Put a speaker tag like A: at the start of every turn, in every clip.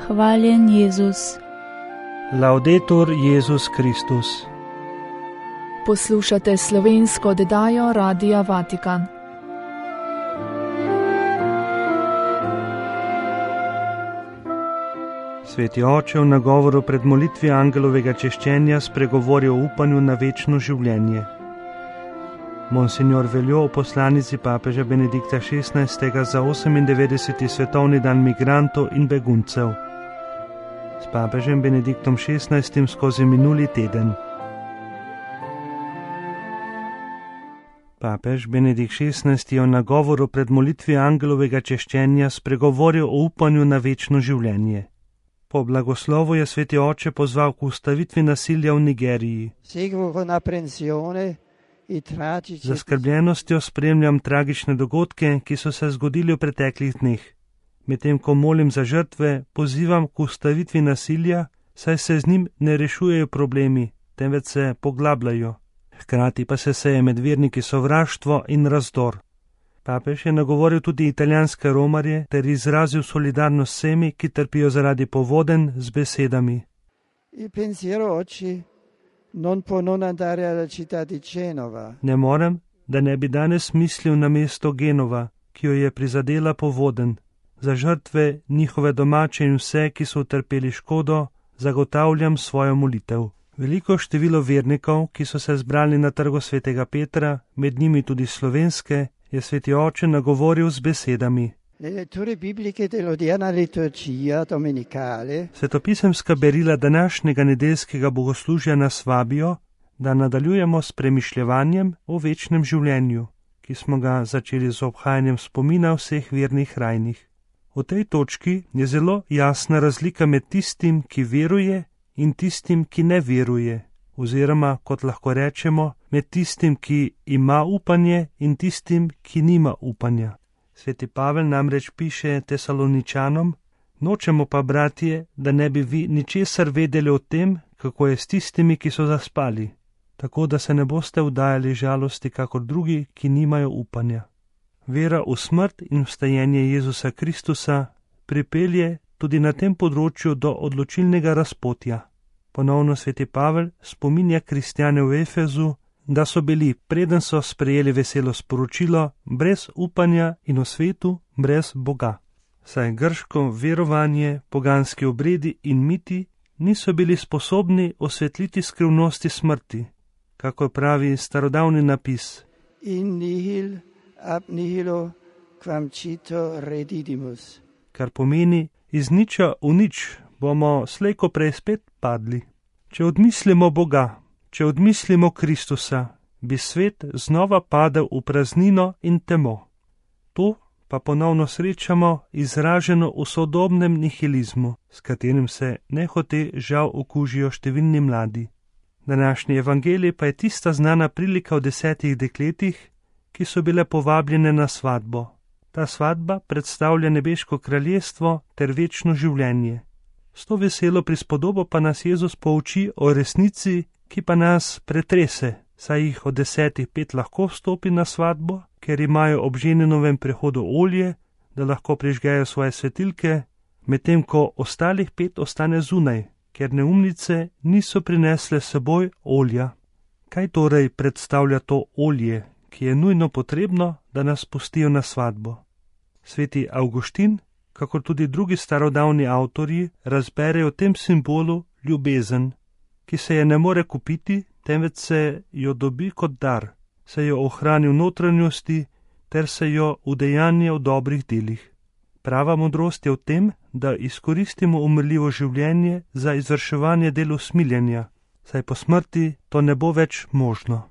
A: Hvaljen Jezus.
B: Laudetur Jezus Kristus.
C: Poslušate slovensko oddajo Radia Vatikan.
B: Sveti oče v nagovoru pred molitvi angelovega češčenja spregovori o upanju na večno življenje. Monsignor Veljo, poslanici papeža Benedikta XVI. Za 98. svetovni dan migrantov in beguncev. S papežem Benediktom XVI. Skozi minuli teden. Papež Benedikt XVI. Je v nagovoru pred molitvi angelovega češčenja spregovoril o upanju na večno življenje. Po blagoslovu je sveti oče pozval k ustavitvi nasilja v Nigeriji. Z zaskrbljenostjo spremljam tragične dogodke, ki so se zgodili v preteklih dneh. Medtem ko molim za žrtve, pozivam k ustavitvi nasilja, saj se z njim ne rešujejo problemi, temveč se poglabljajo. Hkrati pa se seje med verniki sovraštvo in razdor. Papež je nagovoril tudi italijanske romarje ter izrazil solidarnost s vsemi, ki trpijo zaradi povodenj, z besedami. Ne morem, da ne bi danes mislil na mesto Genova, ki jo je prizadela povodenj. Za žrtve, njihove domače in vse, ki so utrpeli škodo, zagotavljam svojo molitev. Veliko število vernikov, ki so se zbrali na trgu svetega Petra, med njimi tudi slovenske, je sveti oče nagovoril z besedami. Svetopisemska berila današnjega nedeljskega bogoslužja nas vabijo, da nadaljujemo s premišljevanjem o večnem življenju, ki smo ga začeli z obhajanjem spomina vseh vernih rajnih. V tej točki je zelo jasna razlika med tistim, ki veruje, in tistim, ki ne veruje, oziroma, kot lahko rečemo, med tistim, ki ima upanje in tistim, ki nima upanja. Sveti Pavel namreč piše Tesaloničanom: nočemo pa, bratje, da ne bi vi ničesar vedeli o tem, kako je s tistimi, ki so zaspali, tako da se ne boste vdajali žalosti, kakor drugi, ki nimajo upanja. Vera v smrt in vstajenje Jezusa Kristusa pripelje tudi na tem področju do odločilnega razpotja. Ponovno sveti Pavel spominja kristjane v Efezu, da so bili, preden so sprejeli veselo sporočilo, brez upanja in v svetu brez Boga. Saj grško verovanje, poganski obredi in miti niso bili sposobni osvetliti skrivnosti smrti, kako pravi starodavni napis. In nihil ab nihilo quam cito redidimus. Kar pomeni, iz niča v nič bomo slejko prej spet padli. Če odmislimo Boga, če odmislimo Kristusa, bi svet znova padel v praznino in temo. To pa ponovno srečamo izraženo v sodobnem nihilizmu, s katerim se nehote žal okužijo številni mladi. Današnji evangelij pa je tista znana prilika o 10 dekletih, ki so bile povabljene na svatbo. Ta svatba predstavlja nebeško kraljestvo ter večno življenje. S to veselo prispodobo pa nas Jezus pouči o resnici, ki pa nas pretrese, saj jih od 10 5 lahko vstopi na svatbo, ker imajo ob ženinovem prehodu olje, da lahko prižgejo svoje svetilke, medtem ko ostalih 5 ostane zunaj, ker neumnice niso prinesle s seboj olja. Kaj torej predstavlja to olje, ki je nujno potrebno, da nas pustijo na svatbo? Sveti Avguštin, kakor tudi drugi starodavni avtorji, razberejo v tem simbolu ljubezen, ki se je ne more kupiti, temveč se jo dobi kot dar, se jo ohrani v notranjosti ter se jo udejanja v dobrih delih. Prava modrost je v tem, da izkoristimo umrljivo življenje za izvrševanje del usmiljenja, saj po smrti to ne bo več možno.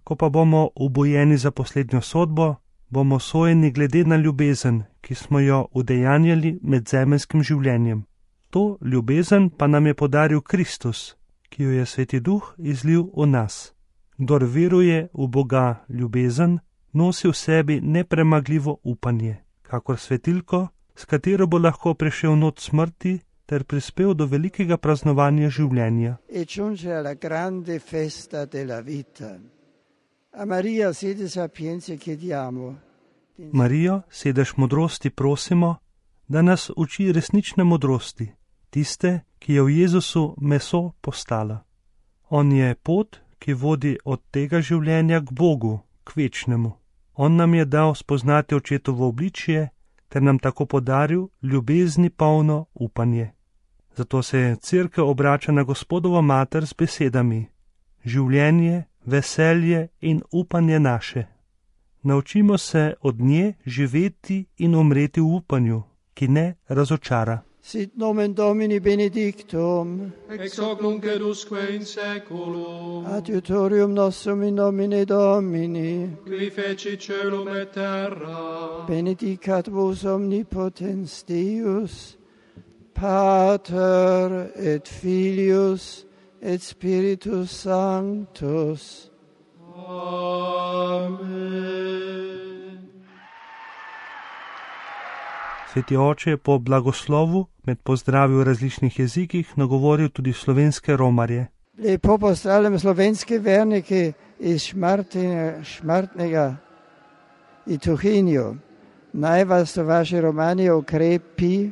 B: Ko pa bomo ubojeni za poslednjo sodbo, bomo sojeni glede na ljubezen, ki smo jo udejanjali med zemljskim življenjem. To ljubezen pa nam je podaril Kristus, ki jo je Sveti Duh izlil v nas. Kdor veruje v Boga ljubezen, nosi v sebi nepremagljivo upanje, kakor svetilko, s katero bo lahko prešel noč smrti ter prispel do velikega praznovanja življenja. Marijo, sedež modrosti, prosimo, da nas uči resnične modrosti, tiste, ki je v Jezusu meso postala. On je pot, ki vodi od tega življenja k Bogu, k večnemu. On nam je dal spoznati očetovo obličje, ter nam tako podaril ljubezni polno upanje. Zato se Cerkev obrača na Gospodovo mater z besedami: življenje, veselje in upanje naše. Naučimo se od nje živeti in umreti v upanju, ki ne razočara.
A: Sit nomen Domini benedictum,
D: ex hoc nunc et usque in seculum,
A: adiutorium nostrum in nomine Domini,
D: qui feci celum et terra,
A: benedicat vos omnipotens Deus, Pater et Filius et Spiritus Sanctus.
D: Amen.
B: Sveti oče je po blagoslovu med pozdravi v različnih jezikih nagovoril tudi slovenske romarje.
A: Lepo pozdravljam slovenske vernike iz Šmartnega in Tuhinju. Naj vas to vaše romanje okrepi,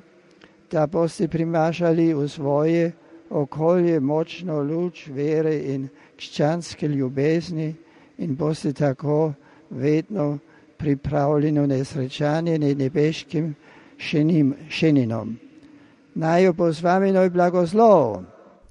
A: da boste primašali v svoje okolje močno luč vere in krščanske ljubezni in boste tako vedno pripravljeni na srečanje nebeškim šeninom. Naj bo z vami noj blagoslov.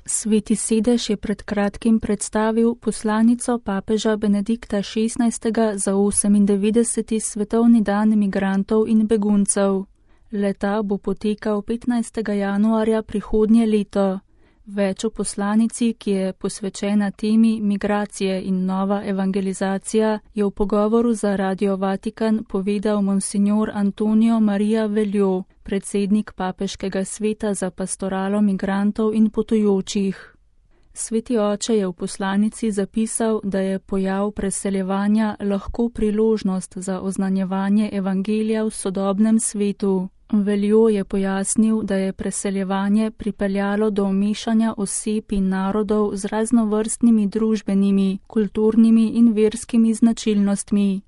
C: Sveti sedež je pred kratkim predstavil poslanico papeža Benedikta XVI. Za 98. svetovni dan migrantov in beguncev. Le-ta bo potekal 15. januarja prihodnje leto. Več o poslanici, ki je posvečena temi migracije in nova evangelizacija, je v pogovoru za Radio Vatikan povedal monsignor Antonio Maria Veljo, predsednik Papeškega sveta za pastoralo migrantov in potujočih. Sveti oče je v poslanici zapisal, da je pojav preseljevanja lahko priložnost za oznanjevanje evangelija v sodobnem svetu. Veljo je pojasnil, da je preseljevanje pripeljalo do mešanja oseb in narodov z raznovrstnimi družbenimi, kulturnimi in verskimi značilnostmi.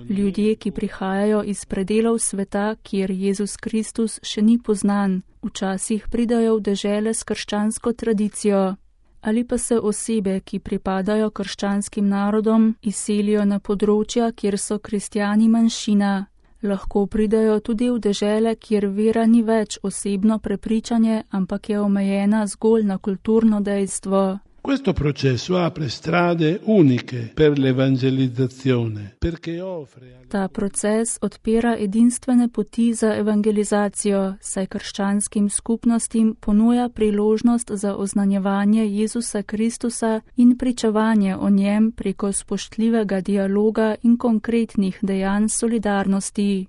C: Ljudje, ki prihajajo iz predelov sveta, kjer Jezus Kristus še ni poznan, včasih pridajo v dežele s krščansko tradicijo. Ali pa se osebe, ki pripadajo krščanskim narodom, izselijo na področja, kjer so kristjani manjšina. Lahko pridajo tudi v dežele, kjer vera ni več osebno prepričanje, ampak je omejena zgolj na kulturno dejstvo.
E: Questo processo apre strade uniche per l'evangelizzazione, perché offre...
C: Ta proces odpira edinstvene poti za evangelizacijo, saj krščanskim skupnostim ponuja priložnost za oznanjevanje Jezusa Kristusa in pričevanje o njem preko spoštljivega dialoga in konkretnih dejanj solidarnosti.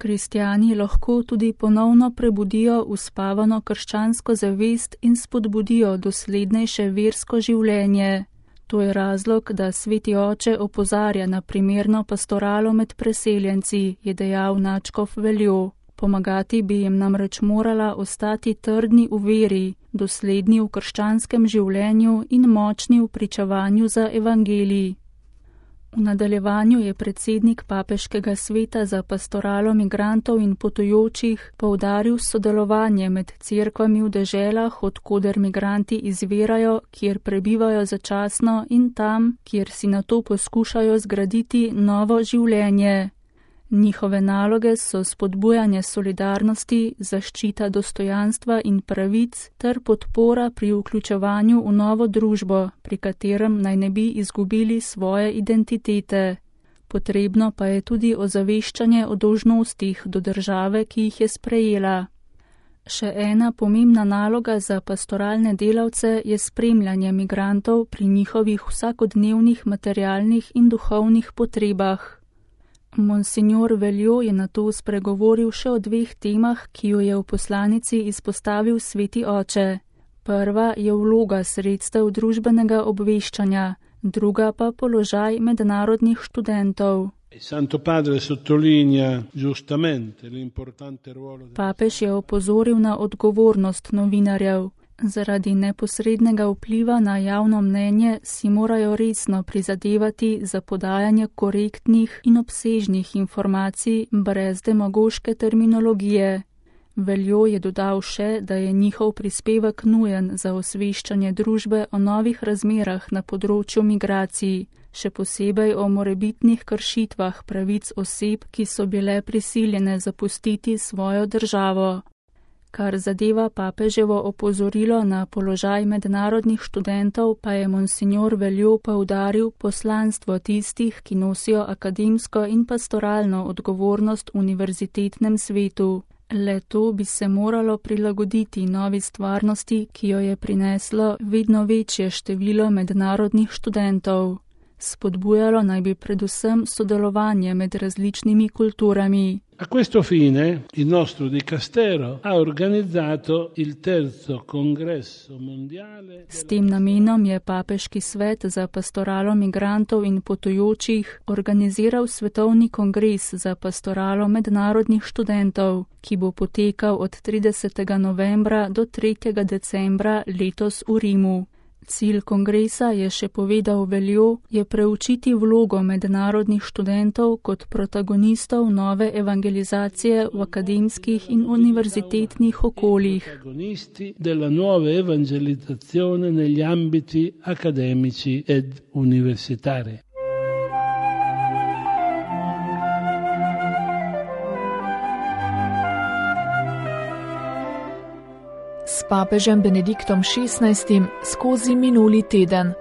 C: Kristjani lahko tudi ponovno prebudijo uspavano krščansko zavest in spodbudijo doslednejše versko življenje. To je razlog, da sveti oče opozarja na primerno pastoralo med preseljenci, je dejal nadškof Veljo. Pomagati bi jim namreč morala ostati trdni v veri, dosledni v krščanskem življenju in močni v pričevanju za evangelij. V nadaljevanju je predsednik Papeškega sveta za pastoralo migrantov in potujočih poudaril sodelovanje med cerkvami v deželah, odkoder migranti izvirajo, kjer prebivajo začasno in tam, kjer si nato poskušajo zgraditi novo življenje. Njihove naloge so spodbujanje solidarnosti, zaščita dostojanstva in pravic ter podpora pri vključevanju v novo družbo, pri katerem naj ne bi izgubili svoje identitete. Potrebno pa je tudi ozaveščanje o dolžnostih do države, ki jih je sprejela. Še ena pomembna naloga za pastoralne delavce je spremljanje migrantov pri njihovih vsakodnevnih materialnih in duhovnih potrebah. Monsignor Veljo je nato spregovoril še o dveh temah, ki jo je v poslanici izpostavil sveti oče. Prva je vloga sredstev družbenega obveščanja, druga pa položaj mednarodnih študentov. Papež je opozoril na odgovornost novinarjev. Zaradi neposrednega vpliva na javno mnenje si morajo resno prizadevati za podajanje korektnih in obsežnih informacij brez demagoške terminologije. Veljo je dodal še, da je njihov prispevek nujen za osveščanje družbe o novih razmerah na področju migracij, še posebej o morebitnih kršitvah pravic oseb, ki so bile prisiljene zapustiti svojo državo. Kar zadeva papeževo opozorilo na položaj mednarodnih študentov, pa je monsignor Veljo poudaril poslanstvo tistih, ki nosijo akademsko in pastoralno odgovornost v univerzitetnem svetu. Le to bi se moralo prilagoditi novi stvarnosti, ki jo je prineslo vedno večje število mednarodnih študentov. Spodbujalo naj bi predvsem sodelovanje med različnimi kulturami.
E: A questo fine il nostro dicastero ha organizzato il terzo congresso mondiale.
C: S tem namenom je Papeški svet za pastoralo migrantov in potujočih organiziral svetovni kongres za pastoralo mednarodnih študentov, ki bo potekal od 30. novembra do 3. decembra letos v Rimu. Cilj kongresa, je še povedal Veljo, je preučiti vlogo mednarodnih študentov kot protagonistov nove evangelizacije v akademskih in univerzitetnih okoljih.
E: Protagonisti della nuova evangelizzazione negli ambiti accademici ed universitari.
F: S papežem Benediktom XVI skozi minuli teden.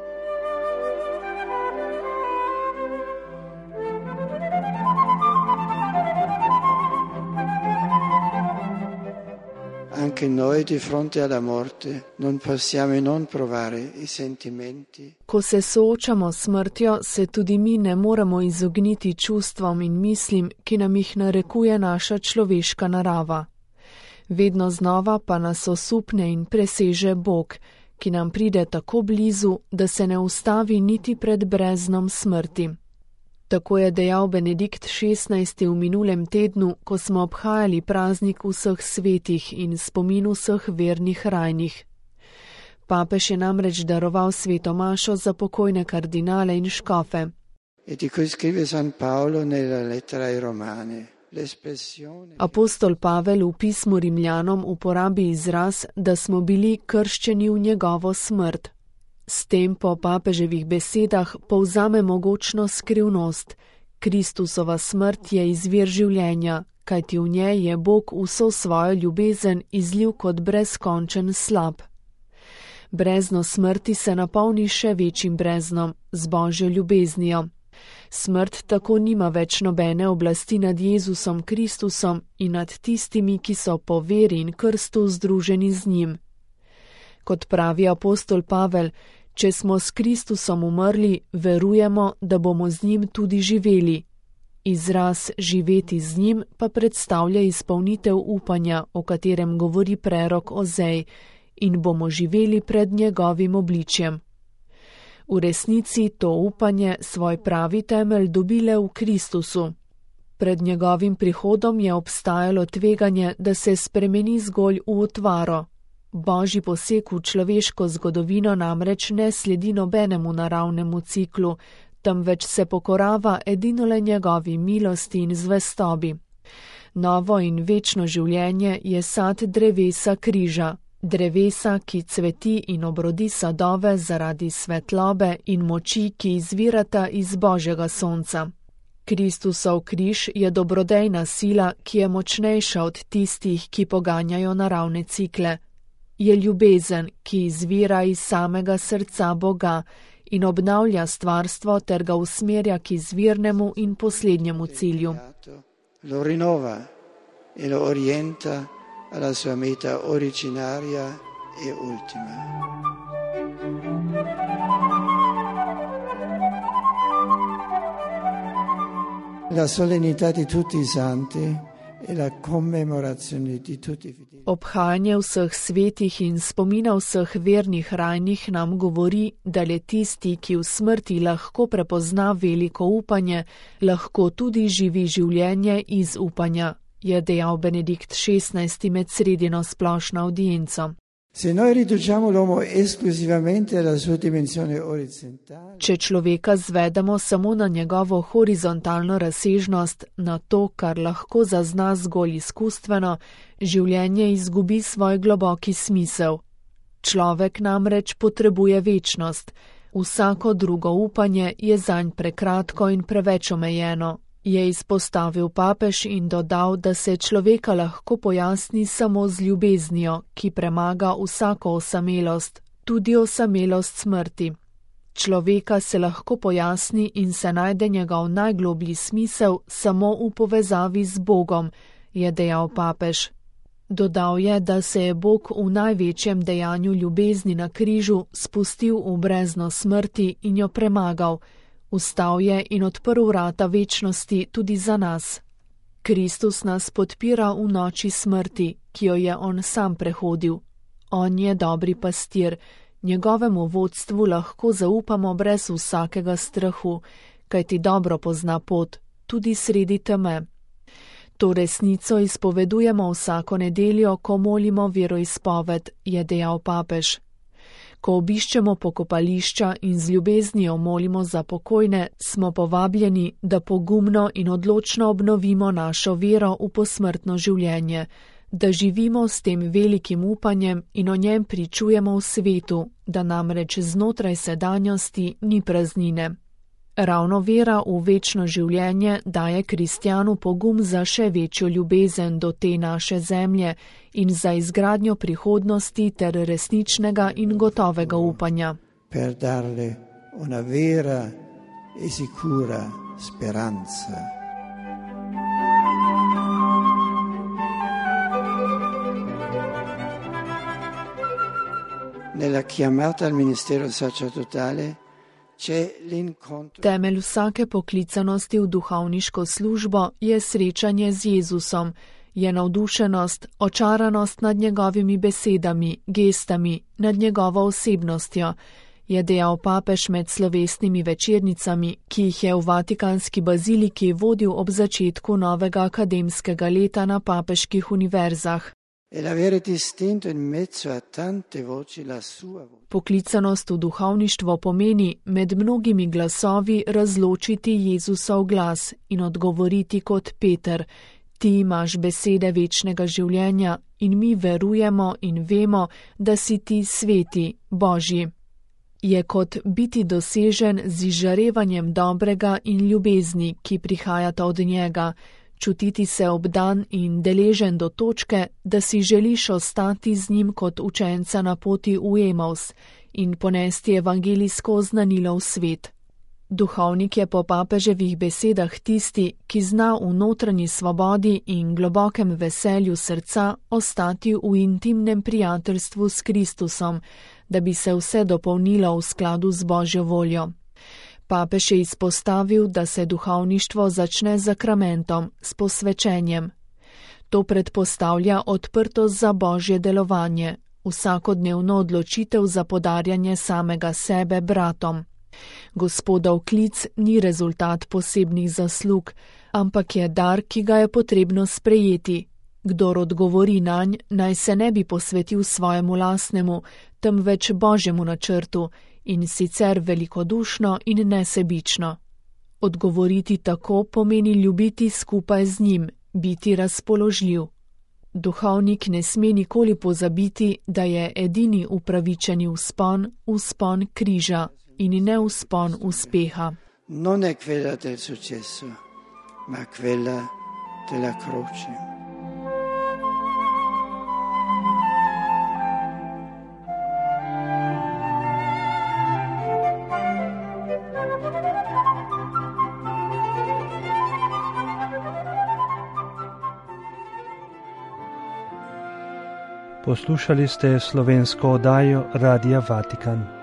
A: Anche noi di fronte alla morte non possiamo non provare i sentimenti.
F: Ko se soočamo s smrtjo, se tudi mi ne moremo izogniti čustvom in mislim, ki nam jih narekuje naša človeška narava. Vedno znova pa nas osupne in preseže Bog, ki nam pride tako blizu, da se ne ustavi niti pred breznom smrti. Tako je dejal Benedikt XVI v minulem tednu, ko smo obhajali praznik vseh svetih in spomin vseh vernih rajnih. Papež je namreč daroval sveto mašo za pokojne kardinale in škofe.
A: E di cui scrive San Paolo nella lettera ai Romani.
F: Apostol Pavel v pismu Rimljanom uporabi izraz, da smo bili krščeni v njegovo smrt. S tem po papeževih besedah povzame mogočno skrivnost. Kristusova smrt je izvir življenja, kajti v njej je Bog vso svojo ljubezen izlil kot brezkončen slab. Brezno smrti se napolni še večjim breznom, z Božjo ljubeznijo. Smrt tako nima več nobene oblasti nad Jezusom Kristusom in nad tistimi, ki so po veri in krstu združeni z njim. Kot pravi apostol Pavel, če smo s Kristusom umrli, verujemo, da bomo z njim tudi živeli. Izraz živeti z njim pa predstavlja izpolnitev upanja, o katerem govori prerok Ozej, in bomo živeli pred njegovim obličjem. V resnici to upanje svoj pravi temelj dobile v Kristusu. Pred njegovim prihodom je obstajalo tveganje, da se spremeni zgolj v utvaro. Božji poseg v človeško zgodovino namreč ne sledi nobenemu naravnemu ciklu, temveč se pokorava edinole njegovi milosti in zvestobi. Novo in večno življenje je sad drevesa križa. Drevesa, ki cveti in obrodi sadove zaradi svetlobe in moči, ki izvirata iz Božjega sonca. Kristusov križ je dobrodejna sila, ki je močnejša od tistih, ki poganjajo naravne cikle. Je ljubezen, ki izvira iz samega srca Boga in obnavlja stvarstvo ter ga usmerja k izvirnemu in poslednjemu cilju.
A: Lo rinnova e lo orienta alla sua meta originaria e ultima. La solennità di tutti i santi e la commemorazione di tutti i fedeli.
F: Obhajanje vseh svetih in spomina vseh vernih rajnih nam govori, da le tisti, ki v smrti lahko prepozna veliko upanje, lahko tudi živi življenje iz upanja, je dejal Benedikt XVI med sredino splošno avdienco. Če človeka zvedemo samo na njegovo horizontalno razsežnost, na to, kar lahko zazna zgolj izkustveno, življenje izgubi svoj globoki smisel. Človek namreč potrebuje večnost. Vsako drugo upanje je zanj prekratko in preveč omejeno, je izpostavil papež in dodal, da se človeka lahko pojasni samo z ljubeznijo, ki premaga vsako osamelost, tudi osamelost smrti. Človeka se lahko pojasni in se najde njegov najgloblji smisel samo v povezavi z Bogom, je dejal papež. Dodal je, da se je Bog v največjem dejanju ljubezni na križu spustil v brezno smrti in jo premagal, vstal je in odprl vrata večnosti tudi za nas. Kristus nas podpira v noči smrti, ki jo je on sam prehodil. On je dobri pastir, njegovemu vodstvu lahko zaupamo brez vsakega strahu, kajti dobro pozna pot, tudi sredi teme. To resnico izpovedujemo vsako nedeljo, ko molimo veroizpoved, je dejal papež. Ko obiščemo pokopališča in z ljubeznijo molimo za pokojne, smo povabljeni, da pogumno in odločno obnovimo našo vero v posmrtno življenje, da živimo s tem velikim upanjem in o njem pričujemo v svetu, da namreč znotraj sedanjosti ni praznine. Ravno vera v večno življenje daje kristjanu pogum za še večjo ljubezen do te naše zemlje in za izgradnjo prihodnosti ter resničnega in gotovega upanja.
A: Per darle una vera e sicura speranza. Nella chiamata al ministero sacerdotale
F: temelj vsake poklicanosti v duhovniško službo je srečanje z Jezusom, je navdušenost, očaranost nad njegovimi besedami, gestami, nad njegovo osebnostjo, je dejal papež med slovesnimi večernicami, ki jih je v Vatikanski baziliki vodil ob začetku novega akademskega leta na papeških univerzah. Poklicanost v duhovništvo pomeni med mnogimi glasovi razločiti Jezusov glas in odgovoriti kot Peter: ti imaš besede večnega življenja in mi verujemo in vemo, da si ti sveti, Božji. Je kot biti dosežen z izžarevanjem dobrega in ljubezni, ki prihajata od njega, čutiti se obdan in deležen do točke, da si želiš ostati z njim kot učenca na poti v Emaus in ponesti evangelijsko oznanilo v svet. Duhovnik je po papeževih besedah tisti, ki zna v notranji svobodi in globokem veselju srca ostati v intimnem prijateljstvu s Kristusom, da bi se vse dopolnilo v skladu z Božjo voljo. Papež je izpostavil, da se duhovništvo začne z sakramentom, s posvečenjem. To predpostavlja odprtost za Božje delovanje, vsakodnevno odločitev za podarjanje samega sebe bratom. Gospodov klic ni rezultat posebnih zaslug, ampak je dar, ki ga je potrebno sprejeti. Kdor odgovori nanj, naj se ne bi posvetil svojemu lastnemu, temveč Božjemu načrtu, in sicer velikodušno in nesebično. Odgovoriti tako pomeni ljubiti skupaj z njim, biti razpoložljiv. Duhovnik ne sme nikoli pozabiti, da je edini upravičeni vzpon križa in ne vzpon uspeha.
A: Non è quella del successo, ma quella della croce.
B: Poslušali ste slovensko oddajo Radia Vatikan.